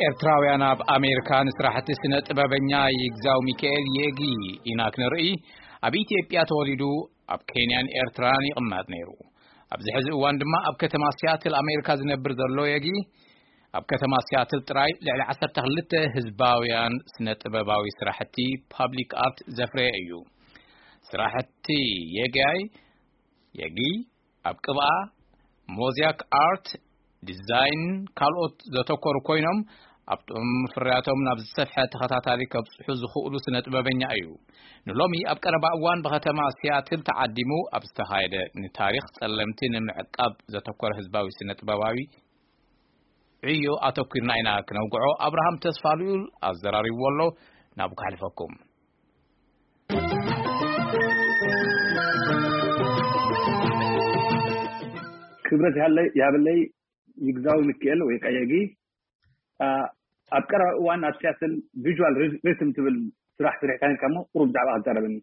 ኤርትራውያን ኣብ ኣሜሪካ ንስራሕቲ ስነ ጥበበኛ ይግዛው ሚካኤል የጊ ኢና ክንርኢ። ኣብ ኢትዮጵያ ተወሊዱ ኣብ ኬንያን ኤርትራን ይቕመጥ ነይሩ። ኣብዚ ሕዚ እዋን ድማ ኣብ ከተማ ሲያትል ኣሜሪካ ዝነብር ዘሎ የጊ፣ ኣብ ከተማ ሲያትል ጥራይ ልዕሊ ዓሰርተ ክልተ ህዝባውያን ስነ ጥበባዊ ስራሕቲ ፓብሊክ ኣርት ዘፍረየ እዩ። ስራሕቲ የጋይ የጊ ኣብ ቅብኣ፣ ሞዛይክ ኣርት፣ ዲዛይን ካልኦት ዘተኮሩ ኮይኖም፣ ኣብቶም ፍርያቶም ናብ ዝሰፍሐ ተኸታታሊ ከብጽሑ ዝኽእሉ ስነ ጥበበኛ እዩ። ንሎሚ ኣብ ቀረባ እዋን ብከተማ ሲያትል ተዓዲሙ ኣብ ዝተኻየደ ንታሪኽ ጸለምቲ ንምዕቃብ ዘተኮረ ህዝባዊ ስነ ጥበባዊ ዕዮ ኣተኲርና ኢና ክነውግዖ ኣብርሃም ተስፋልኡል ኣዘራሪብዎ ኣሎ። ናብ ከሕልፈኩም። ክብረት ይሃለይ ይሃበለይ ይግዛው ሚካኤል ወይ ቀየጊ። ኣብ ቀረባ እዋን ኣብ ሲያትል ቪዥዋል ሪትም ትብል ስራሕ ስሪሕካ ነርካ እሞ ቁሩብ ብዛዕባ ክትዛረበኒ።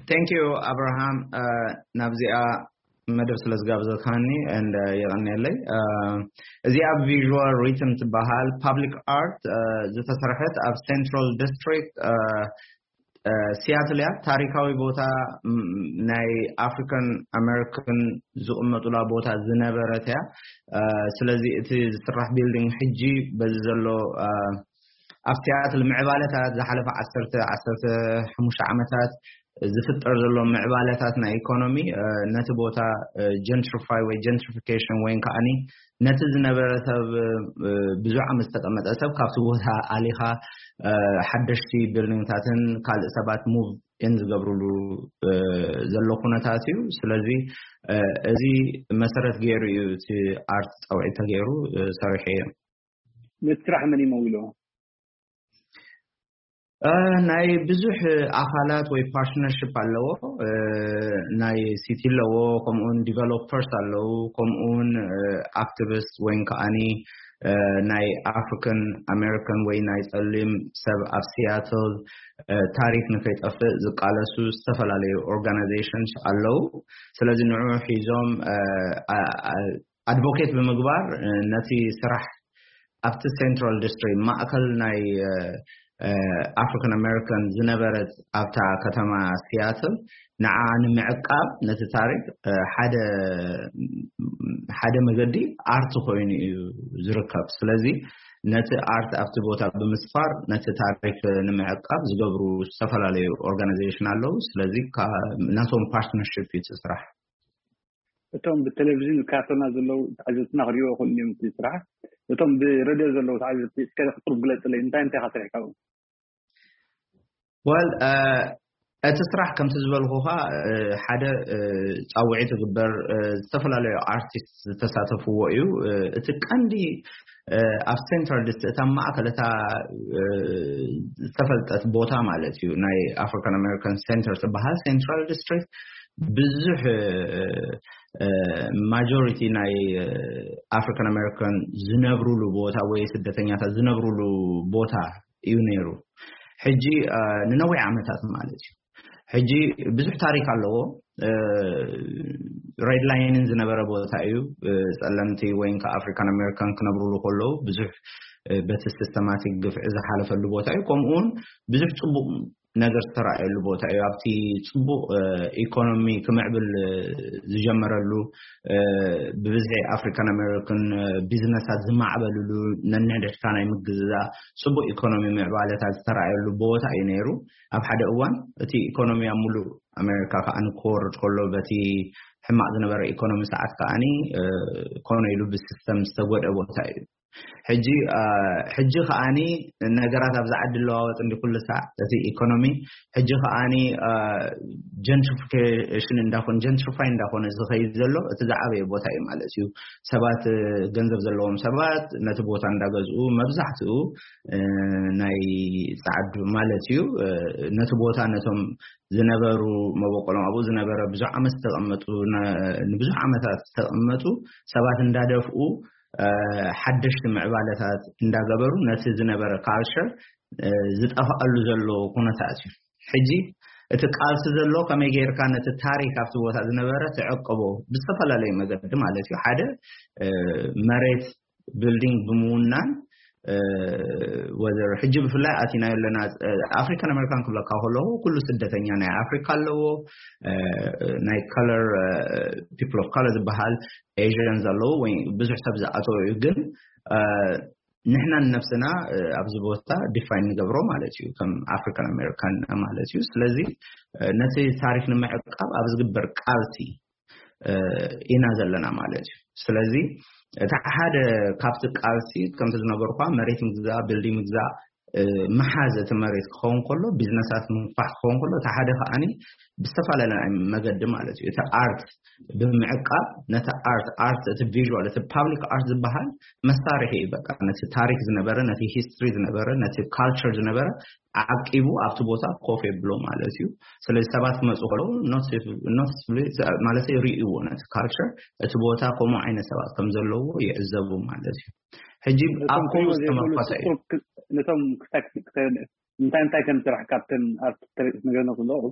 Thank you ኣብርሃም፣ ናብዚኣ መደብ ስለ ዝጋብዘካኒ and የቐንየለይ። እዚኣ ቪዥዋል ሪትም ትበሃል ፓብሊክ ኣርት ዝተሰርሐት ኣብ ሴንትራል ዲስትሪክት ሲያትል እያ። ታሪካዊ ቦታ ናይ ኣፍሪካን ኣሜሪካን ዝቕመጡላ ቦታ ዝነበረት እያ። ስለዚ እቲ ዝስራሕ ቢልዲንግ ሕጂ በዚ ዘሎ ኣብ ሲያትል ምዕባለታት ዝሓለፈ ዓሰርተ ዓሰርተ ሓሙሽተ ዓመታት ዝፍጠር ዘሎ ምዕባለታት ናይ ኢኮኖሚ ነቲ ቦታ ጀንትሪፋይ ወይ ጀንትሪፊኬሽን ወይ ከዓኒ ነቲ ዝነበረ ሰብ ብዙሕ ዓመት ዝተቀመጠ ሰብ ካብቲ ቦታ ኣሊኻ ሓደሽቲ ቢልዲንግታትን ካልእ ሰባት ሙቭ ኢን ዝገብርሉ ዘሎ ኩነታት እዩ። ስለዚ እዚ መሰረት ገይሩ እዩ እቲ ኣርት ጸውዒት ተገይሩ ሰሪሑ እዩ። ነቲ ስራሕ መን ይመውሎ? ናይ ብዙሕ ኣካላት ወይ ፓርትነርሽፕ ኣለዎ። ናይ ሲቲ ኣለዎ፣ ከምኡውን ዲቨሎፐርስ ኣለዉ፣ ከምኡውን ኣክቲቪስት ወይ ከዓኒ ናይ ኣፍሪካን ኣሜሪካን ወይ ናይ ጸሊም ሰብ ኣብ ሲያትል ታሪክ ንከይጠፍእ ዝቃለሱ ዝተፈላለዩ ኦርጋናይዜሽንስ ኣለዉ። ስለዚ ንዑ ሒዞም ኣድቮኬት ብምግባር ነቲ ስራሕ ኣብቲ ሴንትራል ዲስትሪክት ማእከል ናይ ኣፍሪካን ኣሜሪካን ዝነበረት ኣብታ ከተማ ሲያትል ንዓ ንምዕቃብ ነቲ ታሪክ ሓደ ሓደ መገዲ ኣርት ኮይኑ እዩ ዝርከብ። ስለዚ ነቲ ኣርት ኣብቲ ቦታ ብምስፋር ነቲ ታሪክ ንምዕቃብ ዝገብሩ ዝተፈላለዩ ኦርጋናይዜሽን ኣለዉ። ስለዚ ናቶም ፓርትነርሽፕ እዩ እቲ ስራሕ። እቶም ብቴሌቪዥን ዝከታተሉና ዘለዉ ተዓዘብትና ክሪእዎ ይኽእሉ እዮም እቲ ስራሕ። እቶም ብሬድዮ ዘለዉ ተዓዘብቲ እስከ ቁሩብ ግለፅለይ፣ እንታይ እንታይ ኢኻ ሰሪሕካ ኣብኡ? ወል እቲ ስራሕ ከምቲ ዝበልኩኻ ሓደ ጻውዒት ዝግበር ዝተፈላለዩ ኣርቲስት ዝተሳተፍዎ እዩ። እቲ ቀንዲ ኣብ ሴንትራል ዲስትሪክት እታ ማእከል እታ ዝተፈልጠት ቦታ ማለት እዩ ናይ ኣፍሪካን ኣሜሪካን ሴንተር ዝበሃል ሴንትራል ዲስትሪክት ብዙሕ ማጆሪቲ ናይ ኣፍሪካን ኣሜሪካን ዝነብሩሉ ቦታ ወይ ስደተኛታት ዝነብሩሉ ቦታ እዩ ነይሩ። ሕጂ ንነዊሕ ዓመታት ማለት እዩ። ሕጂ ብዙሕ ታሪክ ኣለዎ። ሬድ ላይንን ዝነበረ ቦታ እዩ። ጸለምቲ ወይ ከ ኣፍሪካን ኣሜሪካን ክነብሩሉ ከለዉ ብዙሕ በቲ ሲስተማቲክ ግፍዒ ዝሓለፈሉ ቦታ እዩ። ከምኡውን ብዙሕ ጽቡቕ ነገር ዝተረኣየሉ ቦታ እዩ። ኣብቲ ጽቡቕ ኢኮኖሚ ክምዕብል ዝጀመረሉ ብብዝሒ ኣፍሪካን ኣሜሪካን ቢዝነሳት ዝማዕበልሉ ነንሕድሕድካ ናይ ምግዝዛ ጽቡቕ ኢኮኖሚ ምዕባለታት ዝተረኣየሉ ቦታ እዩ ነይሩ። ኣብ ሓደ እዋን እቲ ኢኮኖሚ ኣብ ሙሉእ ኣሜሪካ ከዓ ንክወርድ ከሎ በቲ ሕማቕ ዝነበረ ኢኮኖሚ ሰዓት ከዓኒ ኮነ ኢሉ ብሲስተም ዝተጎድአ ቦታ እዩ። ሕጂ ሕጂ ከዓኒ ነገራት ኣብዚ ዓዲ ኣለዋወጥ እንዲ ኩሉ ሳዕ እቲ ኢኮኖሚ ሕጂ ከዓኒ ጀንትሪፊኬሽን እንዳኾነ ጀንትሪፋይ እንዳኾነ ዝኸይድ ዘሎ እቲ ዝዓበየ ቦታ እዩ ማለት እዩ። ሰባት ገንዘብ ዘለዎም ሰባት ነቲ ቦታ እንዳገዝኡ መብዛሕትኡ ናይ ጸዓዱ ማለት እዩ ነቲ ቦታ ነቶም ዝነበሩ መበቆሎም ኣብኡ ዝነበረ ብዙሕ ዓመት ዝተቐመጡ ንብዙሕ ዓመታት ዝተቐመጡ ሰባት እንዳደፍኡ ሓደሽቲ ምዕባለታት እንዳገበሩ ነቲ ዝነበረ ካልቸር ዝጠፋኣሉ ዘሎ ኩነታት እዩ። ሕጂ እቲ ቃልሲ ዘሎ ከመይ ጌርካ ነቲ ታሪክ ኣብቲ ቦታ ዝነበረ ትዕቅቦ ብዝተፈላለዩ መገዲ ማለት እዩ። ሓደ መሬት building ብምውናን ወዘር ሕጂ ብፍላይ ኣቲናዮ ኣለና። ኣፍሪካን ኣሜሪካን ክብለካ ከለኹ ኩሉ ስደተኛ ናይ ኣፍሪካ ኣለዎ፣ ናይ color፣ people of color ዝበሃል Asians ኣለዎ ወይ ብዙሕ ሰብ ዝኣተወ እዩ። ግን ንሕና ንነብስና ኣብዚ ቦታ define ንገብሮ ማለት እዩ ከም ኣፍሪካን ኣሜሪካን ማለት እዩ። ስለዚ ነቲ ታሪክ ንምዕቃብ ኣብ ዝግበር ቃልሲ ኢና ዘለና ማለት እዩ። ስለዚ እቲ ሓደ ካብቲ ቃልሲ ከምቲ ዝነበርኳ መሬት ምግዛእ፣ building ምግዛእ፣ ምሓዝ እቲ መሬት ክኸውን ከሎ፣ ቢዝነሳት ምንፋሕ ክኸውን ከሎ፣ እቲ ሓደ ከዓኒ ብዝተፈላለየ መገዲ ማለት እዩ እቲ art ብምዕቃብ ነቲ art፣ art እቲ visual፣ እቲ public art ዝበሃል መሳርሒ እዩ። በቃ ነቲ ታሪክ ዝነበረ፣ ነቲ history ዝነበረ፣ ነቲ culture ዝነበረ ዓቂቡ ኣብቲ ቦታ ኮፍ የብሎ ማለት እዩ። ስለዚ ሰባት ክመፁ ከለዉ noticeably ማለት ይርእይዎ ነቲ culture፣ እቲ ቦታ ከምኡ ዓይነት ሰባት ከም ዘለዎ ይዕዘቡ ማለት እዩ። ሕጂ ኣብ ከምኡ ዝተመርኮሰ እዩ። ነቶም እንታይ እንታይ ከም ስራሕ ካብተን ኣብቲ ትርኢት ነገርና ክለቑ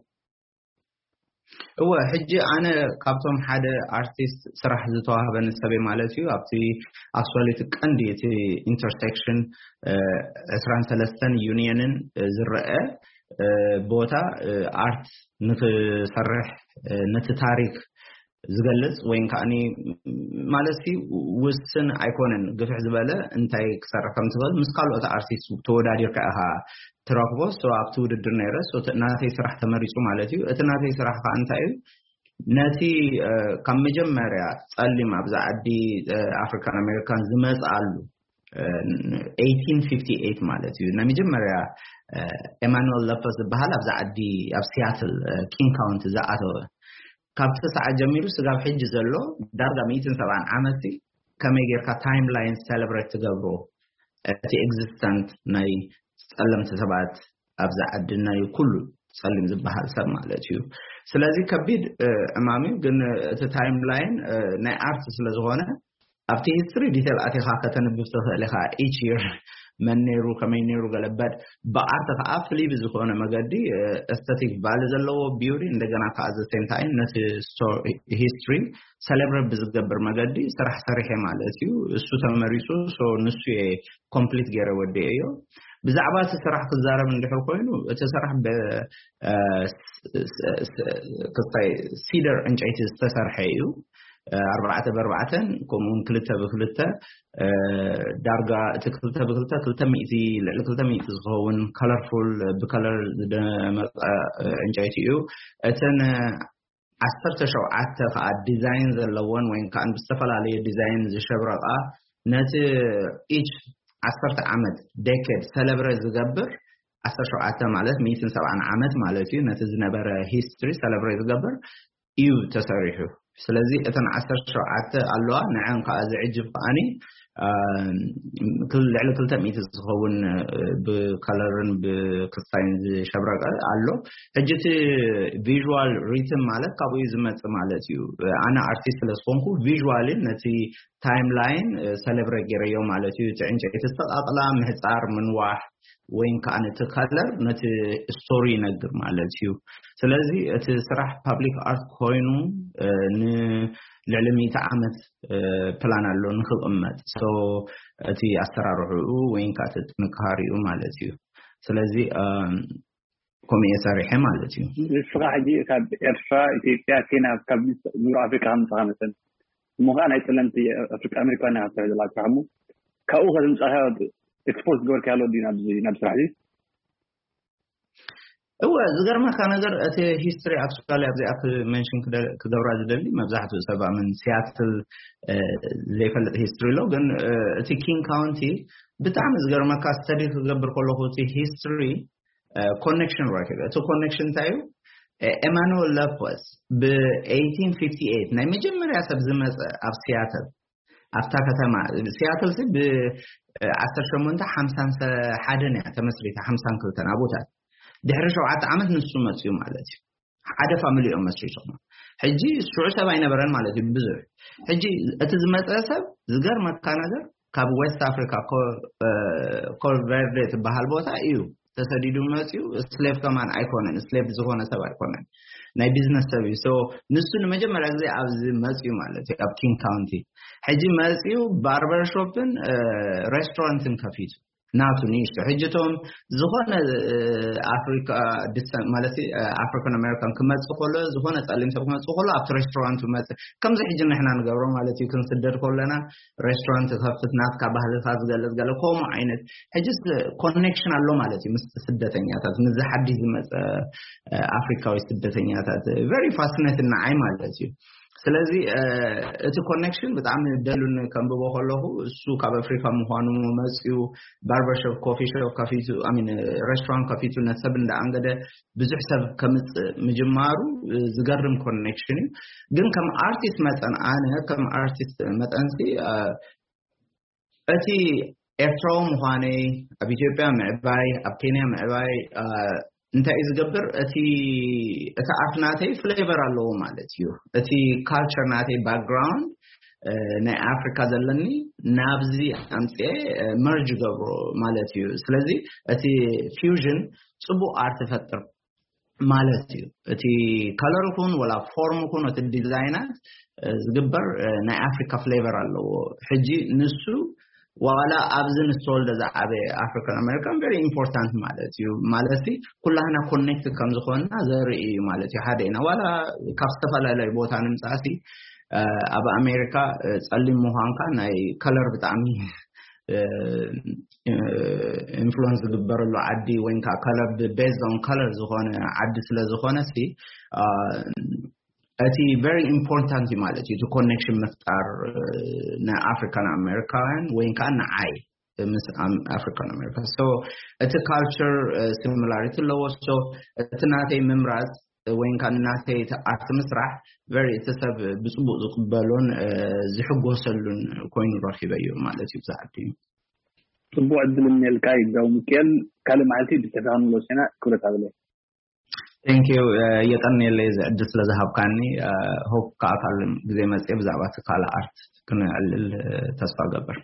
እወ ሕጂ ኣነ ካብቶም ሓደ ኣርቲስት ስራሕ ዝተዋህበኒ ሰበይ ማለት እዩ። ኣብቲ actually እቲ ቀንዲ እቲ intersection ዕስራን ሰለስተን ዩኒየንን ዝረአ ቦታ art ንክሰርሕ ነቲ ታሪክ ዝገልጽ ወይም ከዓኒ ማለት ውስን ኣይኮነን። ግፍሕ ዝበለ እንታይ ክሰርሕ ከም ትኽእል ምስ ካልኦት ኣርቲስት ተወዳዲርካ ኢኻ ትረክቦ። ኣብቲ ውድድር ነይረ ናተይ ስራሕ ተመሪፁ ማለት እዩ። እቲ ናተይ ስራሕ ከዓ እንታይ እዩ? ነቲ ካብ መጀመርያ ፀሊም ኣብዚ ዓዲ ኣፍሪካን ኣሜሪካን ዝመፅኣሉ eighteen fifty-eight ማለት እዩ። ናይ መጀመርያ ኤማኑኤል ለፐስ ዝበሃል ኣብዚ ዓዲ ኣብ ሲያትል ኪንግ ካውንቲ ዝኣተወ ካብቲ ሰዓት ጀሚሩ ስጋብ ሕጂ ዘሎ ዳርጋ ሚእትን ሰብዓን ዓመት ከመይ ጌርካ timeline celebrate ትገብሮ እቲ existence ናይ ጸለምቲ ሰባት ኣብዚ ዓዲ ናይ ኩሉ ጸሊም ዝበሃል ሰብ ማለት እዩ። ስለዚ ከቢድ ዕማም እዩ። ግን እቲ timeline ናይ art ስለ ዝኾነ ኣብቲ history detail ኣቲኻ ከተንብብ ትኽእል ኢኻ። Each year መን ነይሩ ከመይ ነይሩ ገለበድ ብኣርት ከዓ ፍልይ ብዝኾነ መገዲ aesthetic value ዘለዎ beauty እንደገና ከዓ the same time ነቲ history celebrate ብዝገብር መገዲ ስራሕ ሰሪሐ ማለት እዩ። እሱ ተመሪፁ ንሱ complete ገይረ ወዲኤዮ። ብዛዕባ እቲ ስራሕ ክዛረብ እንድሕር ኮይኑ እቲ ስራሕ ክስታይ ሲደር ዕንጨይቲ ዝተሰርሐ እዩ። ኣርባዕተ ብኣርባዕተን ከምኡውን ክልተ ብክልተ ዳርጋ እቲ ክልተ ብክልተ ክልተ ሚእቲ ልዕሊ ክልተ ሚእቲ ዝኸውን colorful ብከለር ዝደመቀ ዕንጨይቲ እዩ። እተን ዓሰርተ ሸውዓተ ከዓ ዲዛይን ዘለዎን ወይ ከዓ ብዝተፈላለየ ዲዛይን ዝሸብረቃ ነቲ each ዓሰርተ ዓመት decade celebrate ዝገብር ዓሰርተ ሸውዓተ ማለት ሚእትን ሰብዓን ዓመት ማለት እዩ። ነቲ ዝነበረ history celebrate ዝገብር እዩ ተሰሪሑ። ስለዚ እተን ዓሰርተ ሸውዓተ ኣለዋ ንዐን ከዓ ዝዕጅብ ከዓኒ ልዕሊ ክልተ ሚእቲ ዝኸውን ብከለርን ብክስታይን ዝሸብረቀ ኣሎ። ሕጂ እቲ visual rhythm ማለት ካብኡ እዩ ዝመፅእ ማለት እዩ። ኣነ ኣርቲስት ስለዝኮንኩ visually ነቲ timeline celebrate ገይረዮ ማለት እዩ። እቲ ዕንጨይቲ ዝተቃቅላ ምህፃር ምንዋሕ ወይም ከዓ ነቲ color ነቲ story ይነግር ማለት እዩ። ስለዚ እቲ ስራሕ public art ኮይኑ ንልዕሊ ሚእቲ ዓመት ፕላን ኣሎ ንክቅመጥ። So እቲ ኣሰራርሕኡ ወይም ከዓ እቲ ጥንካሪኡ ማለት እዩ። ስለዚ ከምኡ እየ ሰሪሐ ማለት እዩ። ንስኻ ሕጂ ካብ ኤርትራ፣ ኢትዮጵያ፣ ኬንያ ካብ ምብራቅ ኣፍሪካ ከምፅኻ መሰል እሞ ከዓ ናይ ፀለምቲ ኣፍሪካ ኣሜሪካውያን ኢኻ ትሰርሕ ዘለካ ስራሕ እሞ ካብኡ ከተምፃእካ expose ዝገበርካ ኣሎ ድዩ ናብ ስራሕ እዚ? እወ ዝገርመካ ነገር እቲ history actually ኣብዚኣ mention ክገብራ ዝደሊ መብዛሕትኡ ሰብ ኣምን ሲያትል ዘይፈልጥ history ኣሎ። ግን እቲ ኪንግ ካውንቲ ብጣዕሚ ዝገርመካ study ክገብር ከለኹ እቲ history connection ረኪበ። እቲ connection እንታይ እዩ? ኤማኑኤል ለፖስ ብ eighteen fifty-eight ናይ መጀመርያ ሰብ ዝመፀ ኣብ ሲያትል ኣብታ ከተማ ሲያትል ብ ዓሰርተ ሸሞንተ ሓምሳን ሓደን እያ ተመስሪታ ሓምሳን ክልተን ኣብኡታት ድሕሪ ሸውዓተ ዓመት ንሱ መፅኡ ማለት እዩ። ሓደ ፋሚሊ እዮም መስሪቶም። ሕጂ ሽዑ ሰብ ኣይነበረን ማለት እዩ ብዙሕ። ሕጂ እቲ ዝመፀ ሰብ ዝገርመካ ነገር ካብ ዌስት ኣፍሪካ ኮልቨርዴ ትበሃል ቦታ እዩ ተሰዲዱ መፅኡ። ስሌቭ ከማን ኣይኮነን፣ ስሌቭ ዝኾነ ሰብ ኣይኮነን። ናይ ቢዝነስ ሰብ እዩ። So ንሱ ንመጀመርያ ግዜ ኣብዚ መፅዩ ማለት እዩ፣ ኣብ ኪንግ ካውንቲ። ሕጂ መፅዩ ባርበር ሾፕን ሬስቶራንትን ከፊቱ ናቱ ንእሽቶ። ሕጂ እቶም ዝኾነ ኣፍሪካ ማለት ኣፍሪካን ኣሜሪካን ክመፅእ ከሎ፣ ዝኾነ ፀሊም ሰብ ክመፅእ ከሎ ኣብቲ ሬስቶራንቱ መፅእ፣ ከምዚ ሕጂ ንሕና ንገብሮ ማለት እዩ። ክንስደድ ከለና ሬስቶራንት ከፍት፣ ናትካ ባህልካ ዝገልፅ ገለ ከምኡ ዓይነት። ሕጂ ኮኔክሽን ኣሎ ማለት እዩ ምስ ስደተኛታት፣ ምስ ሓድሽ ዝመፀ ኣፍሪካዊ ስደተኛታት። ቨሪ ፋሲኔት ንዓይ ማለት እዩ። ስለዚ እቲ ኮኔክሽን ብጣዕሚ ደሉን ከንብቦ ከለኹ፣ እሱ ካብ ኣፍሪካ ምዃኑ መፅዩ፣ ባርበርሾፕ ኮፊ ሾፕ ከፊቱ፣ ሚን ሬስቶራንት ከፊቱ፣ ነቲ ሰብ እንዳኣንገደ ብዙሕ ሰብ ከምፅእ ምጅማሩ ዝገርም ኮኔክሽን እዩ። ግን ከም ኣርቲስት መጠን፣ ኣነ ከም ኣርቲስት መጠንሲ እቲ ኤርትራዊ ምዃነይ፣ ኣብ ኢትዮጵያ ምዕባይ፣ ኣብ ኬንያ ምዕባይ እንታይ እዩ ዝገብር? እቲ እቲ ኣርት ናተይ ፍሌቨር ኣለዎ ማለት እዩ። እቲ ካልቸር ናተይ፣ ባክግራውንድ ናይ ኣፍሪካ ዘለኒ ናብዚ ኣምፅኤ መርጅ ገብሮ ማለት እዩ። ስለዚ እቲ ፊውዥን ፅቡቅ ኣርት ይፈጥር ማለት እዩ። እቲ ከለር ይኹን ወላ ፎርም ይኹን እቲ ዲዛይናት ዝግበር ናይ ኣፍሪካ ፍሌቨር ኣለዎ። ሕጂ ንሱ ዋላ ኣብዚ ንዝተወልደ ዝዓበየ ኣፍሪካን ኣሜሪካን ቨሪ ኢምፖርታንት ማለት እዩ። ማለት ኩላህና ኮኔክት ከም ዝኾንና ዘርኢ እዩ ማለት እዩ። ሓደ ኢና ዋላ ካብ ዝተፈላለዩ ቦታ ንምፃእሲ ኣብ ኣሜሪካ ፀሊም ምዃንካ ናይ ከለር ብጣዕሚ ኢንፍሉንስ ዝግበረሉ ዓዲ ወይ ከዓ ከለር ቤዝድ ኦን ከለር ዝኾነ ዓዲ ስለ ዝኾነ ሲ እቲ ቨሪ ኢምፖርታንት እዩ ማለት እዩ። እቲ ኮኔክሽን ምፍጣር ንኣፍሪካን ኣሜሪካውያን ወይ ከዓ ንዓይ ምስ ኣፍሪካን ኣሜሪካ። So እቲ ካልቸር ሲሚላሪቲ ኣለዎ። So እቲ ናተይ ምምራፅ ወይ ከዓ ናተይ ኣርት ምስራሕ ቨሪ እቲ ሰብ ብፅቡቅ ዝቅበሎን ዝሕጎሰሉን ኮይኑ ረኪበዮ ማለት እዩ። ብዛዕዲ ፅቡቅ ዕድል እኒኤልካ ይጋው ሚካኤል። ካልእ መዓልቲ ብተፋን ንለሲና ክብረት ኣብለ። Thank you። የቀንየለይ እዚ ዕድል ስለ ዝሃብካኒ። ሆፕ ከዓ ካልእ ግዜ መፅየ ብዛዕባ እቲ ካልእ ኣርት ክንዕልል ተስፋ ገብር።